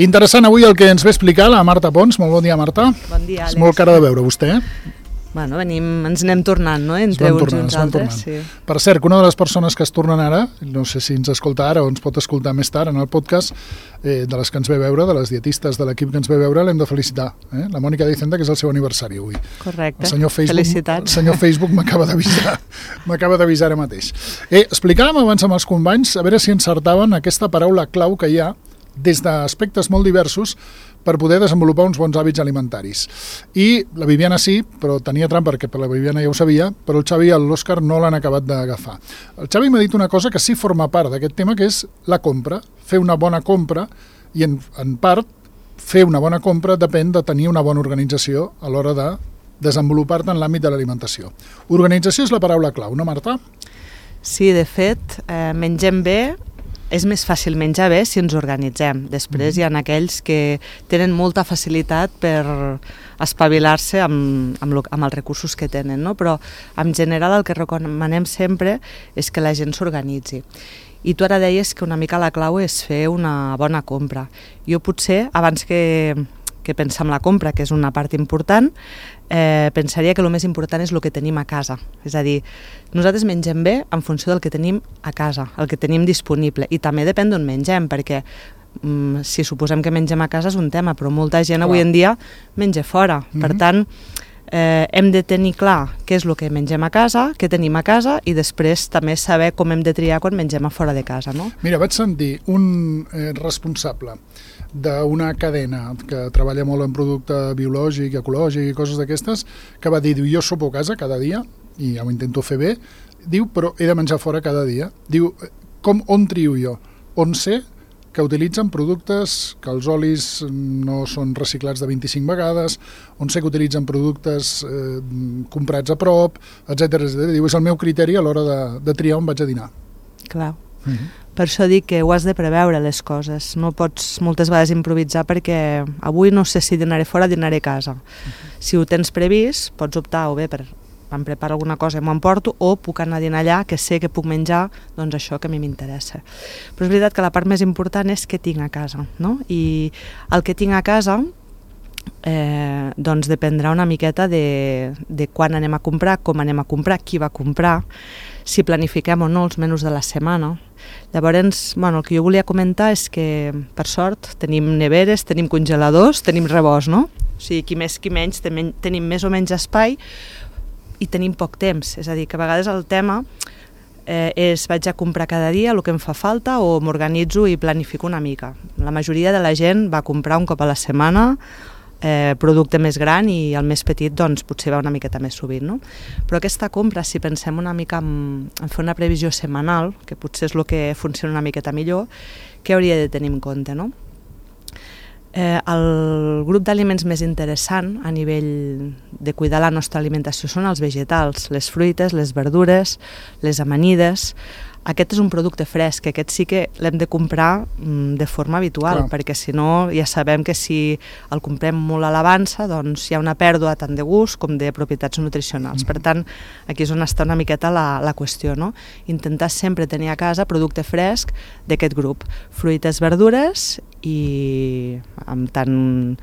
Interessant avui el que ens ve explicar la Marta Pons. Molt bon dia, Marta. Bon dia, Àlex. És molt cara de veure, vostè, Bueno, ens anem tornant, no?, entre uns i uns altres. Sí. Per cert, que una de les persones que es tornen ara, no sé si ens escolta ara o ens pot escoltar més tard en el podcast, de les que ens ve veure, de les dietistes de l'equip que ens ve veure, l'hem de felicitar. La Mònica Dicenda, que és el seu aniversari avui. Correcte. Felicitats. El senyor Facebook m'acaba d'avisar ara mateix. Explicàvem abans amb els companys, a veure si encertaven aquesta paraula clau que hi ha des d'aspectes molt diversos per poder desenvolupar uns bons hàbits alimentaris. I la Viviana sí, però tenia trampa perquè la Viviana ja ho sabia, però el Xavi i l'Òscar no l'han acabat d'agafar. El Xavi m'ha dit una cosa que sí forma part d'aquest tema, que és la compra, fer una bona compra, i en part fer una bona compra depèn de tenir una bona organització a l'hora de desenvolupar-te en l'àmbit de l'alimentació. Organització és la paraula clau, no, Marta? Sí, de fet, mengem bé. És més fàcil menjar bé si ens organitzem. Després hi ha aquells que tenen molta facilitat per espavilar-se amb els recursos que tenen, no? Però en general el que recomanem sempre és que la gent s'organitzi. I tu ara deies que una mica la clau és fer una bona compra. Jo potser, abans que pensar en la compra, que és una part important, pensaria que el més important és el que tenim a casa. És a dir, nosaltres mengem bé en funció del que tenim a casa, el que tenim disponible, i també depèn d'on mengem, perquè si suposem que mengem a casa és un tema, però molta gent avui en dia menja fora. Per tant, hem de tenir clar què és el que mengem a casa, què tenim a casa, i després també saber com hem de triar quan mengem a fora de casa, no? Mira, vaig sentir un responsable d'una cadena que treballa molt en producte biològic, ecològic i coses d'aquestes, que va dir, jo sopo a casa cada dia, i ja ho intento fer bé, diu, però he de menjar fora cada dia. Diu, on trio jo? On sé que utilitzen productes que els olis no són reciclats de 25 vegades, on sé que utilitzen productes comprats a prop, etc. Diu, és el meu criteri a l'hora de triar on vaig a dinar. Clar. Per això dic que ho has de preveure, les coses. No pots moltes vegades improvisar perquè avui no sé si dinaré fora o dinaré a casa. Si ho tens previst, pots optar o bé per em preparo alguna cosa i m'ho emporto, o puc anar a dinar allà, que sé que puc menjar doncs això que a mi m'interessa. Però és veritat que la part més important és què tinc a casa, no? I el que tinc a casa doncs dependrà una miqueta de quan anem a comprar, com anem a comprar, qui va comprar, si planifiquem o no els menús de la setmana. Llavors, el que jo volia comentar és que, per sort, tenim neveres, tenim congeladors, tenim rebost, no? O sigui, qui més qui menys, tenim més o menys espai i tenim poc temps. És a dir, que a vegades el tema és vaig a comprar cada dia el que em fa falta o m'organitzo i planifico una mica. La majoria de la gent va comprar un cop a la setmana producte més gran, i el més petit doncs potser va una miqueta més sovint, no? Però aquesta compra, si pensem una mica en fer una previsió setmanal, que potser és el que funciona una miqueta millor, què hauria de tenir en compte, no? El grup d'aliments més interessant a nivell de cuidar la nostra alimentació són els vegetals, les fruites, les verdures, les amanides. Aquest és un producte fresc, aquest sí que l'hem de comprar de forma habitual, perquè si no ja sabem que si el comprem molt a l'avança doncs hi ha una pèrdua tant de gust com de propietats nutricionals. Per tant, aquí és on està una miqueta la qüestió, no? Intentar sempre tenir a casa producte fresc d'aquest grup, fruites, verdures, i amb tant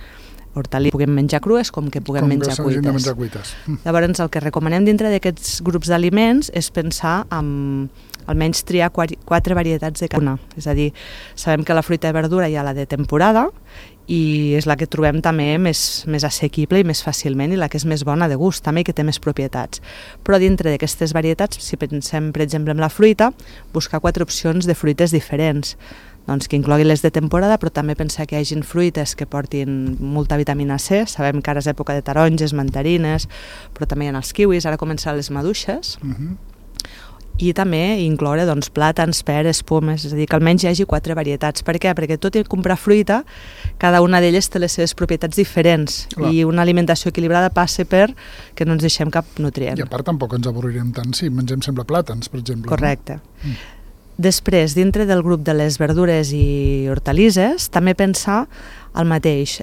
hortalisses puguem menjar crues com que puguem menjar cuites. Llavors, el que recomanem dintre d'aquests grups d'aliments és pensar en almenys triar 4 varietats de cada una. És a dir, sabem que la fruita i verdura hi ha la de temporada i és la que trobem també més assequible i més fàcilment, i la que és més bona de gust també, i que té més propietats. Però dintre d'aquestes varietats, si pensem per exemple en la fruita, buscar 4 opcions de fruites diferents, doncs que incloguin les de temporada, però també pensar que hi hagin fruites que portin molta vitamina C. Sabem que ara és època de taronges, mandarines, però també hi ha els kiwis, ara començaran les maduixes. I també incloure plàtans, peres, pomes, és a dir, que almenys hi hagi 4 varietats. Per què? Perquè tot i comprar fruita, cada una d'elles té les seves propietats diferents. I una alimentació equilibrada passa per que no ens deixem cap nutrient. I a part tampoc ens avorrirem tant si mengem sempre plàtans, per exemple. Correcte. Després, dintre del grup de les verdures i hortalisses, també pensar el mateix.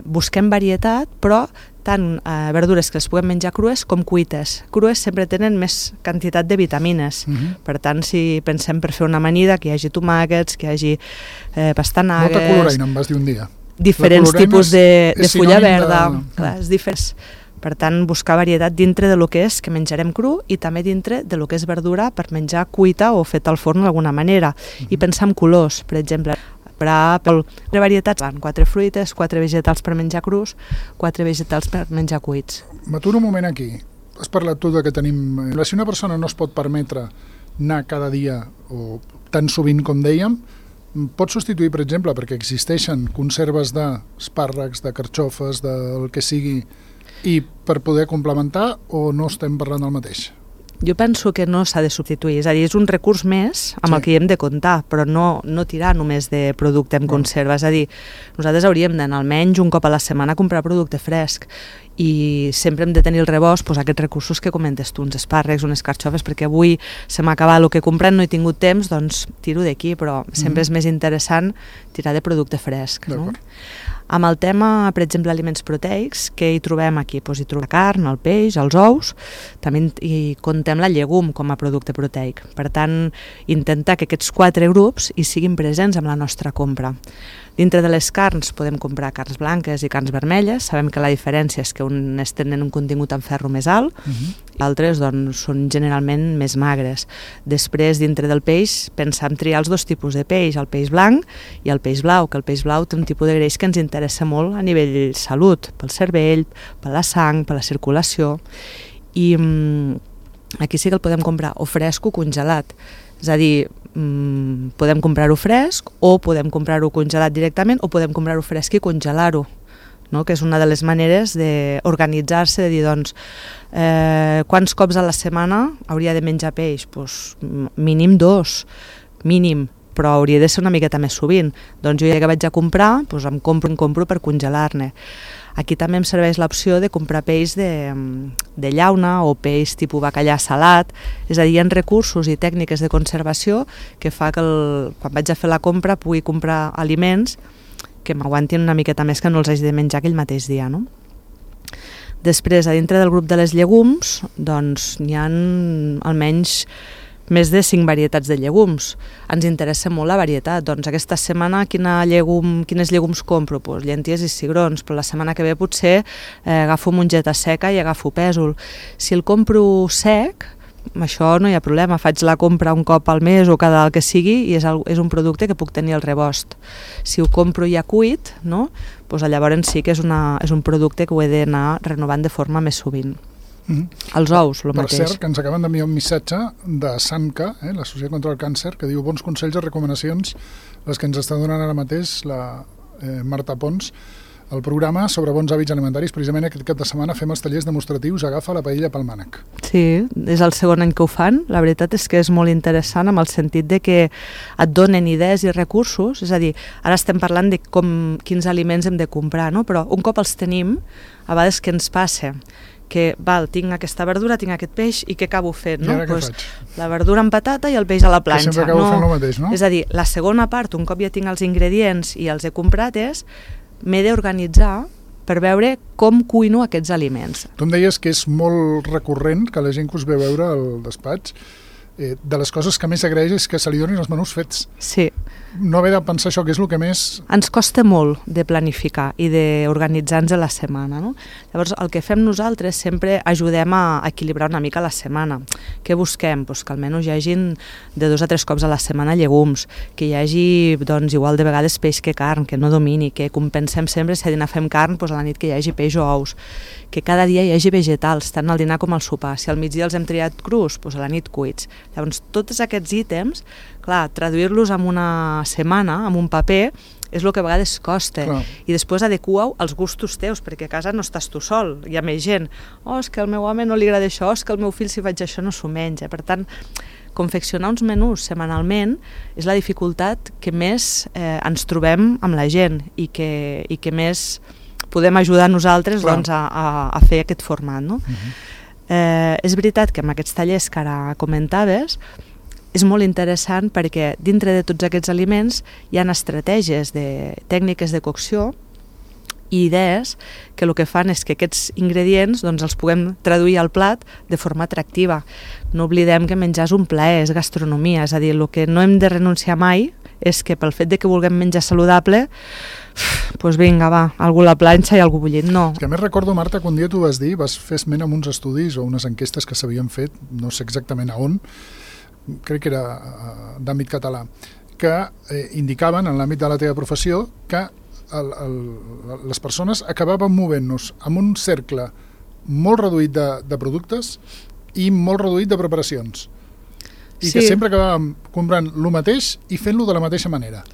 Busquem varietat, però tant verdures que les puguem menjar crues com cuites. Crues sempre tenen més quantitat de vitamines. Per tant, si pensem per fer una amanida, que hi hagi tomàquets, que hi hagi pastanagues... Molta coloraina, em vas dir un dia. diferents tipus de fulla verda. Clar, és diferent. Per tant, buscar varietat dintre de lo que és que menjarem cru i també dintre de lo que és verdura per menjar cuita o feta al forn d'alguna manera. I pensar en colors, per exemple. Per varietats, 4 fruites, 4 vegetals per menjar crus, 4 vegetals per menjar cuits. M'aturo un moment aquí. Has parlat tu de que tenim... Si una persona no es pot permetre anar cada dia o tan sovint com dèiem, pot substituir, per exemple, perquè existeixen conserves d'espàrrecs, de carxofes, del que sigui, i per poder complementar, o no estem parlant del mateix? Jo penso que no s'ha de substituir, és a dir, és un recurs més amb el que hi hem de comptar, però no tirar només de producte en conserva, és a dir, nosaltres hauríem d'anar almenys un cop a la setmana a comprar producte fresc i sempre hem de tenir el rebost aquests recursos que comentes tu, uns espàrrecs, unes carxofes, perquè avui se m'ha acabat el que he comprat, no he tingut temps, doncs tiro d'aquí, però sempre és més interessant tirar de producte fresc. No? Amb el tema, per exemple, aliments proteics, què hi trobem aquí? Doncs hi trobem la carn, el peix, els ous, també hi contem la llegum com a producte proteic. Per tant, intentar que aquests 4 grups hi siguin presents amb la nostra compra. Dintre de les carns podem comprar carns blanques i carns vermelles, sabem que la diferència és que unes tenen un contingut en ferro més alt, altres doncs, són generalment més magres. Després, dintre del peix, pensem triar els 2 tipus de peix, el peix blanc i el peix blau, que el peix blau té un tipus de greix que ens interessa molt a nivell salut, pel cervell, per la sang, per la circulació, i aquí sí que el podem comprar o fresc o congelat, és a dir, podem comprar-ho fresc o podem comprar-ho congelat directament o podem comprar-ho fresc i congelar-ho, no? Que és una de les maneres d'organitzar-se, de dir, doncs, quants cops a la setmana hauria de menjar peix? Pues, mínim 2, mínim, però hauria de ser una miqueta més sovint. Doncs jo ja que vaig a comprar, doncs em compro per congelar-ne. Aquí també em serveix l'opció de comprar peix de llauna o peix tipus bacallà salat, és a dir, hi ha recursos i tècniques de conservació que fa que quan vaig a fer la compra pugui comprar aliments que m'aguantin una miqueta més, que no els hagi de menjar aquell mateix dia, no? Després, a dintre del grup de les llegums, doncs n'hi ha almenys més de 5 varietats de llegums. Ens interessa molt la varietat. Doncs aquesta setmana quines llegums compro? Pues llenties i cigrons, però la setmana que ve potser agafo mongeta seca i agafo pèsol. Si el compro sec, això no hi ha problema, faig la compra un cop al mes o cada el que sigui i és un producte que puc tenir al rebost. Si ho compro ja cuit, no? Pues llavors sí que és un producte que ho he d'anar renovant de forma més sovint. Els ous, el mateix. Per cert, que ens acaben d'enviar un missatge de SANCA, l'Associació contra el Càncer, que diu bons consells i recomanacions, les que ens està donant ara mateix la Marta Pons, el programa sobre bons hàbits alimentaris. Precisament aquest cap de setmana fem els tallers demostratius Agafa la paella pel mànec. Sí, és el segon any que ho fan. La veritat és que és molt interessant amb el sentit de que et donen idees i recursos, és a dir, ara estem parlant de quins aliments hem de comprar, no? Però un cop els tenim, a vegades què ens passa? Que tinc aquesta verdura, tinc aquest peix i què acabo fent? No? Pues, la verdura amb patata i el peix a la planxa. Que sempre acabo fent el mateix, no? És a dir, la segona part, un cop ja tinc els ingredients i els he comprat, m'he d'organitzar per veure com cuino aquests aliments. Tu em deies que és molt recurrent que la gent que us ve a veure al despatx, de les coses que més agraeix és que se li donin els menús fets. Sí. No haver de pensar això, que és el que més... Ens costa molt de planificar i d'organitzar-nos a la setmana, no? Llavors, el que fem nosaltres sempre ajudem a equilibrar una mica la setmana. Què busquem? Pues que almenys hi hagin de 2 a 3 cops a la setmana llegums, que hi hagi, doncs, igual de vegades peix que carn, que no domini, que compensem sempre, si a dinar fem carn, pues a la nit que hi hagi peix o ous, que cada dia hi hagi vegetals, tant al dinar com al sopar. Si al migdia els hem triat crus, pues a la nit cuits. Llavors, tots aquests ítems, clar, traduir-los en una setmana, en un paper, és el que a vegades costa. Clar. I després adequa-ho als gustos teus, perquè a casa no estàs tu sol, hi ha més gent. És que al meu home no li agrada això, és que al meu fill si faig això no s'ho menja. Per tant, confeccionar uns menús setmanalment és la dificultat que més ens trobem amb la gent i que més podem ajudar nosaltres doncs, a fer aquest format, no? És veritat que amb aquests tallers que ara comentaves és molt interessant perquè dintre de tots aquests aliments hi ha estratègies de tècniques de cocció i idees que el que fan és que aquests ingredients doncs, els puguem traduir al plat de forma atractiva. No oblidem que menjar és un plaer, és gastronomia, és a dir, el que no hem de renunciar mai és que pel fet de que vulguem menjar saludable doncs vinga, va, algú a la planxa i algú bullit, no. És que a més recordo, Marta, que un dia tu vas dir, vas fer esment amb uns estudis o unes enquestes que s'havien fet, no sé exactament a on, crec que era d'àmbit català, que indicaven en l'àmbit de la teva professió que les persones acabaven movent-nos amb un cercle molt reduït de productes i molt reduït de preparacions. I que sempre acabàvem comprant el mateix i fent-lo de la mateixa manera.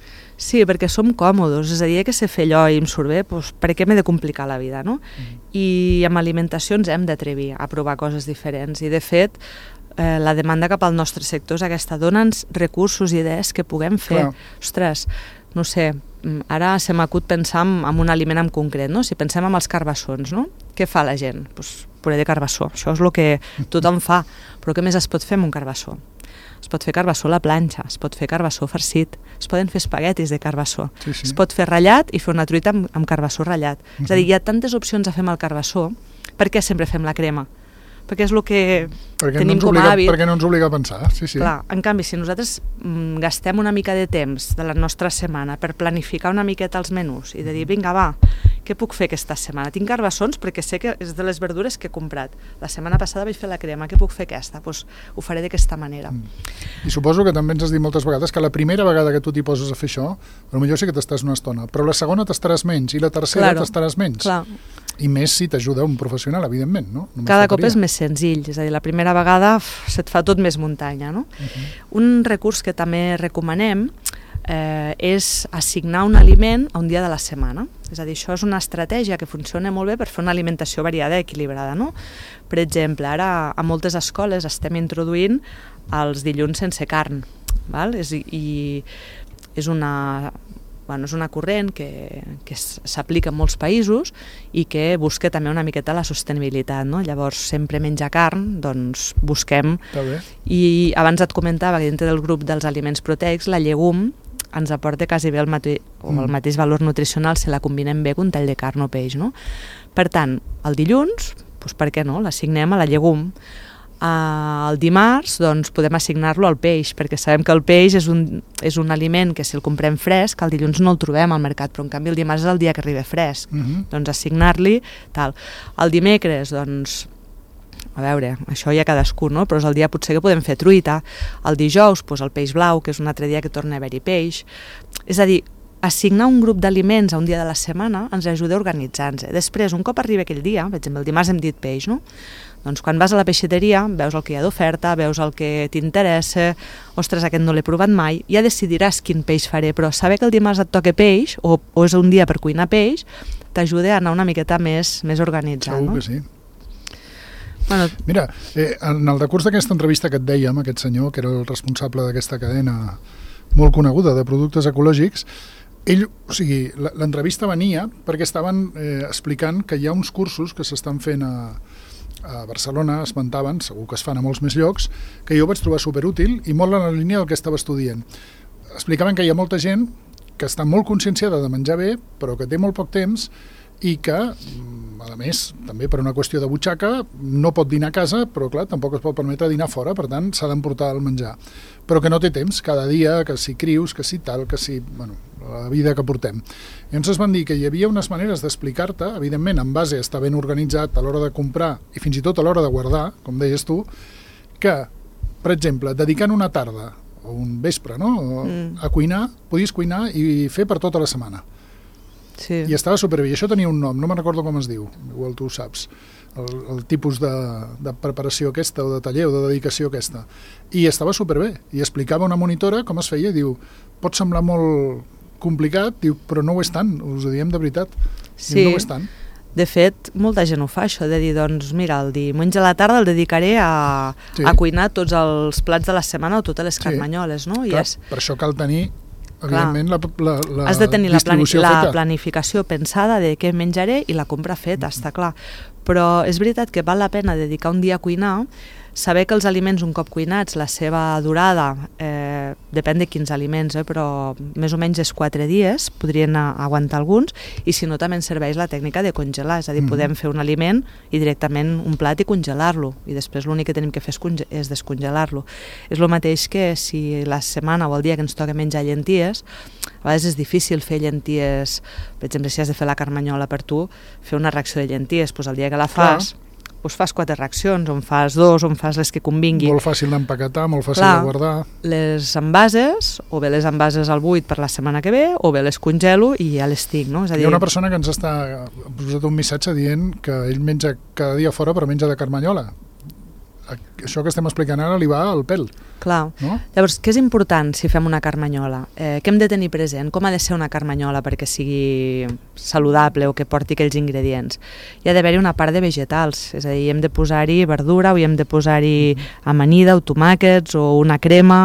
Sí, perquè som còmodes, és a dir, que sé fer allò i em surt bé, doncs per què m'he de complicar la vida, no? I amb alimentació ens hem d'atrevir a provar coses diferents i, de fet, la demanda cap al nostre sector és aquesta, dona'ns recursos i idees que puguem fer. Ostres, no sé, ara se m'acut pensar en un aliment en concret, no? Si pensem en els carbassons, no? Què fa la gent? Doncs puré de carbassó, això és el que tothom fa, però què més es pot fer amb un carbassó? Es pot fer carbassó a la planxa, es pot fer carbassó farcit, es poden fer espaguetis de carbassó, es pot fer ratllat i fer una truita amb carbassó ratllat. És a dir, hi ha tantes opcions a fer amb el carbassó, per què sempre fem la crema? Perquè és el que tenim com a hàbit. Perquè no ens obliga a pensar, sí. Clar, en canvi, si nosaltres gastem una mica de temps de la nostra setmana per planificar una miqueta els menús i de dir, vinga, va, què puc fer aquesta setmana? Tinc carbassons perquè sé que és de les verdures que he comprat. La setmana passada vaig fer la crema, què puc fer aquesta? Doncs ho faré d'aquesta manera. I suposo que també ens has dit moltes vegades que la primera vegada que tu t'hi poses a fer això, potser sí que t'estàs una estona, però la segona t'estaràs menys i la tercera t'estaràs menys. Clar. I més si t'ajuda un professional, evidentment, no? Cada cop és més senzill, és a dir, la primera vegada se't fa tot més muntanya, no? Un recurs que també recomanem és assignar un aliment a un dia de la setmana. És a dir, això és una estratègia que funciona molt bé per fer una alimentació variada i equilibrada, no? Per exemple, ara a moltes escoles estem introduint els dilluns sense carn, val? I és una corrent que s'aplica en molts països i que busca també una miqueta la sostenibilitat, no? Llavors, sempre menjar carn, doncs busquem. I abans et comentava que dintre del grup dels aliments proteics, la llegum ens aporta quasi bé el mateix valor nutricional si la combinem bé amb un tall de carn o peix, no? Per tant, el dilluns, doncs per què no? L'assignem a la llegum. El dimarts doncs, podem assignar-lo al peix, perquè sabem que el peix és un aliment que si el comprem fresc, el dilluns no el trobem al mercat, però en canvi el dimarts és el dia que arriba fresc. Doncs assignar-li tal. El dimecres, doncs, a veure, això ja cadascú, no? Però és el dia potser que podem fer truita. El dijous, doncs, el peix blau, que és un altre dia que torna a haver-hi peix. És a dir, assignar un grup d'aliments a un dia de la setmana ens ajuda a organitzar-nos. Després, un cop arriba aquell dia, per exemple, el dimarts hem dit peix, no? Doncs quan vas a la peixateria, veus el que hi ha d'oferta, veus el que t'interessa, ostres, aquest no l'he provat mai, ja decidiràs quin peix faré, però saber que el dimarts et toca peix, o és un dia per cuinar peix, t'ajuda a anar una miqueta més organitzat. Segur que sí. Bueno, mira, en el decurs d'aquesta entrevista que et dèiem, aquest senyor, que era el responsable d'aquesta cadena molt coneguda de productes ecològics, ell, o sigui, l'entrevista venia perquè estaven explicant que hi ha uns cursos que s'estan fent a Barcelona, esmentaven, segur que es fan a molts més llocs, que jo vaig trobar superútil i molt en la línia del que estava estudiant. Explicaven que hi ha molta gent que està molt conscienciada de menjar bé, però que té molt poc temps i que, a més, també per una qüestió de butxaca, no pot dinar a casa, però clar, tampoc es pot permetre dinar fora, per tant, s'ha d'emportar el menjar. Però que no té temps, cada dia, que si crius, que si tal, que si... Bueno, la vida que portem. I ens van dir que hi havia unes maneres d'explicar-te, evidentment, en base a estar ben organitzat a l'hora de comprar i fins i tot a l'hora de guardar, com deies tu, que, per exemple, dedicant una tarda o un vespre, no?, a cuinar, podies cuinar i fer per tota la setmana. Sí. I estava superbé. I això tenia un nom, no me'n recordo com es diu, igual tu ho saps, el tipus de preparació aquesta o de taller o de dedicació aquesta. I estava superbé. I explicava una monitora com es feia i diu, pot semblar molt complicat, diu, però no ho és tant, us ho diem de veritat. Sí. Diu, no ho és tant. De fet, molta gent ho fa, això, de dir, doncs, mira, el diumenge a la tarda el dedicaré a cuinar tots els plats de la setmana o totes les carmanyoles, no? Clar, per això cal tenir, evidentment, has de tenir distribució la feta. planificació pensada de què menjaré i la compra feta, està clar. Però és veritat que val la pena dedicar un dia a cuinar, saber que els aliments un cop cuinats, la seva durada, depèn de quins aliments, però més o menys és 4 dies, podrien aguantar alguns, i si no també ens serveix la tècnica de congelar, és a dir, podem fer un aliment i directament un plat i congelar-lo, i després l'únic que tenim que fer és descongelar-lo. És el mateix que si la setmana o el dia que ens toca menjar llenties, a vegades és difícil fer llenties, per exemple, si has de fer la carmanyola per tu, fer una ració de llenties, doncs el dia que la fas, doncs fas 4 racions, on fas 2, on fas les que convingui. Molt fàcil d'empaquetar, molt fàcil de guardar. Les envases, o bé les envases al buit per la setmana que ve, o bé les congelo i ja les tinc, no? És a dir, hi ha una persona que ens està posat un missatge dient que ell menja cada dia fora però menja de carmanyola. Això que estem explicant ara li va al pèl. Clar. No? Llavors, què és important si fem una carmanyola? Què hem de tenir present? Com ha de ser una carmanyola perquè sigui saludable o que porti aquells ingredients? Hi ha d'haver-hi una part de vegetals, és a dir, hem de posar-hi verdura o hi hem de posar-hi amanida o tomàquets o una crema,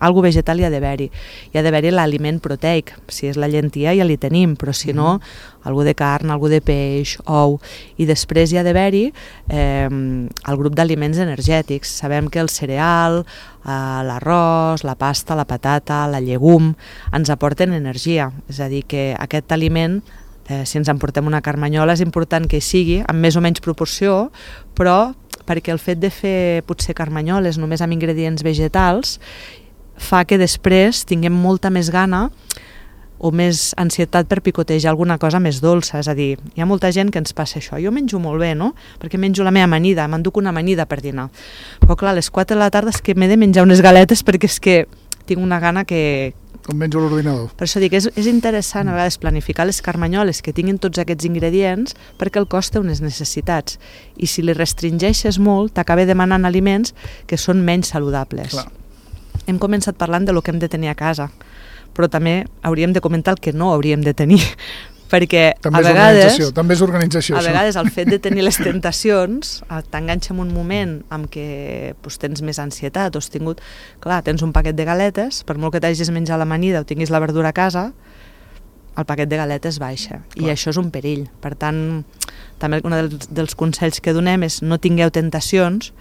algo vegetal hi ha d'haver-hi. Hi ha d'haver-hi l'aliment proteic, si és la llentia ja li tenim, però si no, algú de carn, algú de peix, ou, i després hi ha d'haver-hi el grup d'aliments energètics. Sabem que el cereal, l'arròs, la pasta, la patata, la llegum, ens aporten energia. És a dir, que aquest aliment, si ens emportem una carmanyola, és important que hi sigui, amb més o menys proporció, però perquè el fet de fer potser carmanyoles només amb ingredients vegetals fa que després tinguem molta més gana o més ansietat per picotejar alguna cosa més dolça. És a dir, hi ha molta gent que ens passa això. Jo menjo molt bé, no? Perquè menjo la meva amanida, m'enduc una amanida per dinar. Però clar, a les 4 de la tarda és que m'he de menjar unes galetes perquè és que tinc una gana que... Com menjo l'ordinador. Per això dic, és interessant a vegades planificar les carmanyoles que tinguin tots aquests ingredients perquè el cos té unes necessitats. I si li restringeixes molt, t'acaba demanant aliments que són menys saludables. Clar. Hem començat parlant de lo que hem de tenir a casa, però també hauríem de comentar el que no hauríem de tenir, perquè també és organització, a vegades el fet de tenir les tentacions t'enganxa en un moment en què tens més ansietat o has tingut, clar, tens un paquet de galetes, per molt que t'hagis menjat l'amanida o tinguis la verdura a casa, el paquet de galetes baixa, i això és un perill. Per tant, també un dels consells que donem és no tingueu tentacions,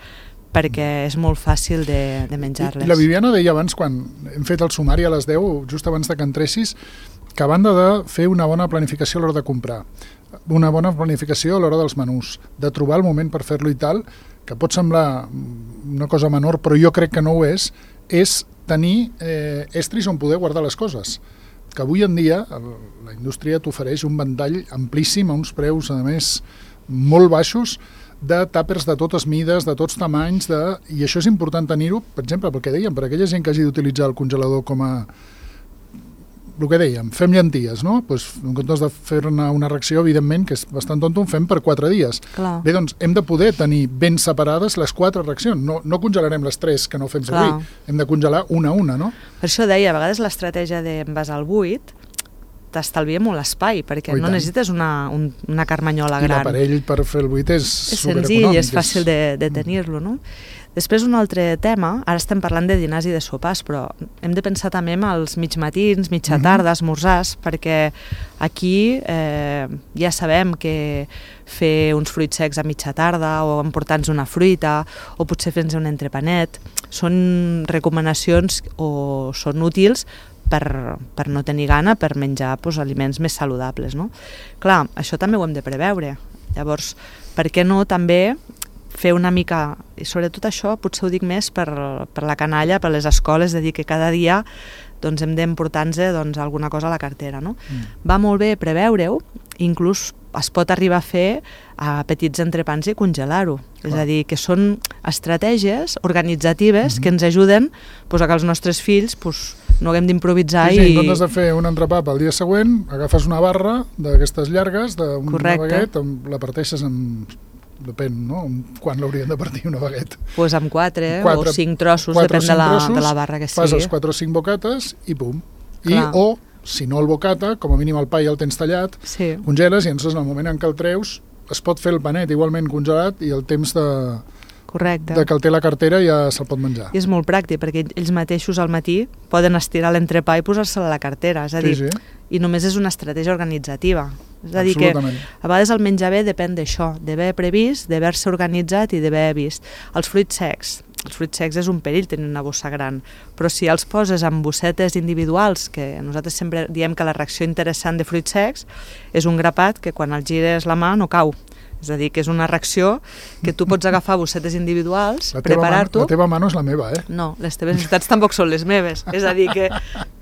perquè és molt fàcil de menjar-les. I la Viviana deia abans, quan hem fet el sumari a les 10, just abans de que entressis, que a banda de fer una bona planificació a l'hora de comprar, una bona planificació a l'hora dels menús, de trobar el moment per fer-lo i tal, que pot semblar una cosa menor, però jo crec que no ho és tenir estris on poder guardar les coses. Que avui en dia la indústria t'ofereix un ventall amplíssim a uns preus, a més, molt baixos, de tàpers de totes mides, de tots tamanys, i això és important tenir-ho, per exemple, pel que dèiem, per aquella gent que hagi d'utilitzar el congelador com a... El que dèiem, fem llenties, no? Pues, en comptes de fer-ne una ració, evidentment, que és bastant tonto, en fem per 4 dies. Clar. Bé, doncs, hem de poder tenir ben separades les 4 racions. No congelarem les 3 que no fem servir. Hem de congelar una a una, no? Per això deia, a vegades l'estratègia d'envasar al buit t'estalvia molt espai, perquè no necessites una carmanyola gran. I l'aparell per fer el buit és supereconòmic. És senzill, és fàcil de tenir-lo, no? Després un altre tema, ara estem parlant de dinars i de sopars, però hem de pensar també en els mig matins, mitja tarda, esmorzars, perquè aquí ja sabem que fer uns fruits secs a mitja tarda o emportar-nos una fruita o potser fer-nos un entrepanet són recomanacions o són útils per no tenir gana, per menjar aliments més saludables, no? Clar, això també ho hem de preveure. Llavors, per què no també fer una mica, i sobretot això potser ho dic més per la canalla, per les escoles, de dir que cada dia hem d'emportar-nos alguna cosa a la cartera, no? Va molt bé preveure-ho, inclús es pot arribar a fer a petits entrepans i congelar-ho. És a dir, que són estratègies organitzatives que ens ajuden a que els nostres fills no haguem d'improvisar. Sí, en comptes de fer un entrepà pel dia següent, agafes una barra d'aquestes llargues, d'una baguet, la parteixes en... Depèn, no? Quan l'haurien de partir una baguet? Doncs amb 4 o 5 trossos, depèn de la barra que sigui. Fas els 4 o 5 bocates i pum. O, si no el bocata, com a mínim el pa ja el tens tallat, congeles i en el moment en què el treus es pot fer el panet igualment congelat i el temps de que el té la cartera ja se'l pot menjar. I és molt pràctic, perquè ells mateixos al matí poden estirar l'entrepà i posar-se a la cartera, és a dir, i només és una estratègia organitzativa. És a dir que a vegades el menjar bé depèn d'això, d'haver previst, d'haver-se organitzat i d'haver vist. Els fruits secs és un perill tenir una bossa gran, però si els poses en bossetes individuals, que nosaltres sempre diem que la reacció interessant de fruits secs és un grapat que quan el gires la mà no cau. És a dir, que és una reacció que tu pots agafar bossetes individuals, preparar-t'ho... La teva mà no és la meva, eh? No, les teves necessitats tampoc són les meves. És a dir, que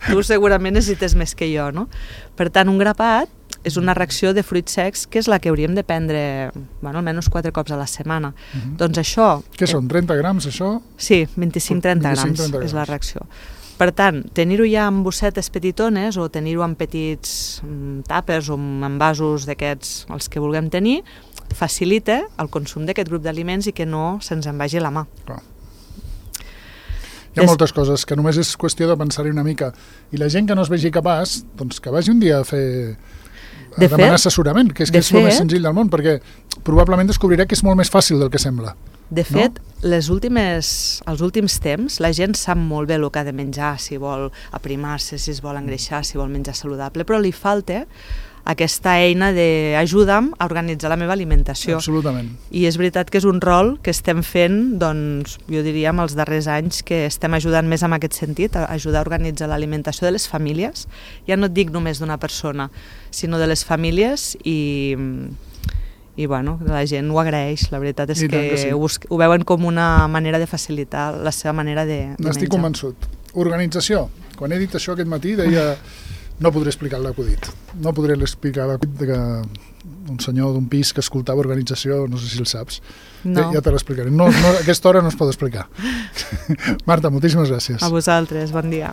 tu segurament necessites més que jo, no? Per tant, un grapat és una reacció de fruits secs que és la que hauríem de prendre, bueno, almenys 4 cops a la setmana. Doncs això... Què són, 30 grams, això? Sí, 25-30 grams és la reacció. Per tant, tenir-ho ja en bossetes petitones o tenir-ho en petits tàpers o en vasos d'aquests, els que vulguem tenir, facilita el consum d'aquest grup d'aliments i que no se'ns en vagi la mà. Clar. Hi ha moltes coses que només és qüestió de pensar-hi una mica. I la gent que no es vegi capaç, doncs que vagi un dia a fer... a demanar assessorament, que és el més senzill del món, perquè probablement descobrirà que és molt més fàcil del que sembla. De fet, els últims temps, la gent sap molt bé el que ha de menjar, si vol aprimar-se, si es vol engreixar, si vol menjar saludable, però li falta aquesta eina d'ajuda'm a organitzar la meva alimentació. Absolutament. I és veritat que és un rol que estem fent, doncs, jo diria, els darrers anys, que estem ajudant més en aquest sentit, a ajudar a organitzar l'alimentació de les famílies. Ja no et dic només d'una persona, sinó de les famílies i bueno, la gent ho agraeix. La veritat és que sí. Ho veuen com una manera de facilitar la seva manera de menjar. N'estic convençut. Organització. Quan he dit això aquest matí deia... No podré explicar l'acudit. No podré explicar l'acudit d'un senyor d'un pis que escoltava organització, no sé si el saps. No. Ja te l'explicaré. No, a aquesta hora no es pot explicar. Marta, moltíssimes gràcies. A vosaltres, bon dia.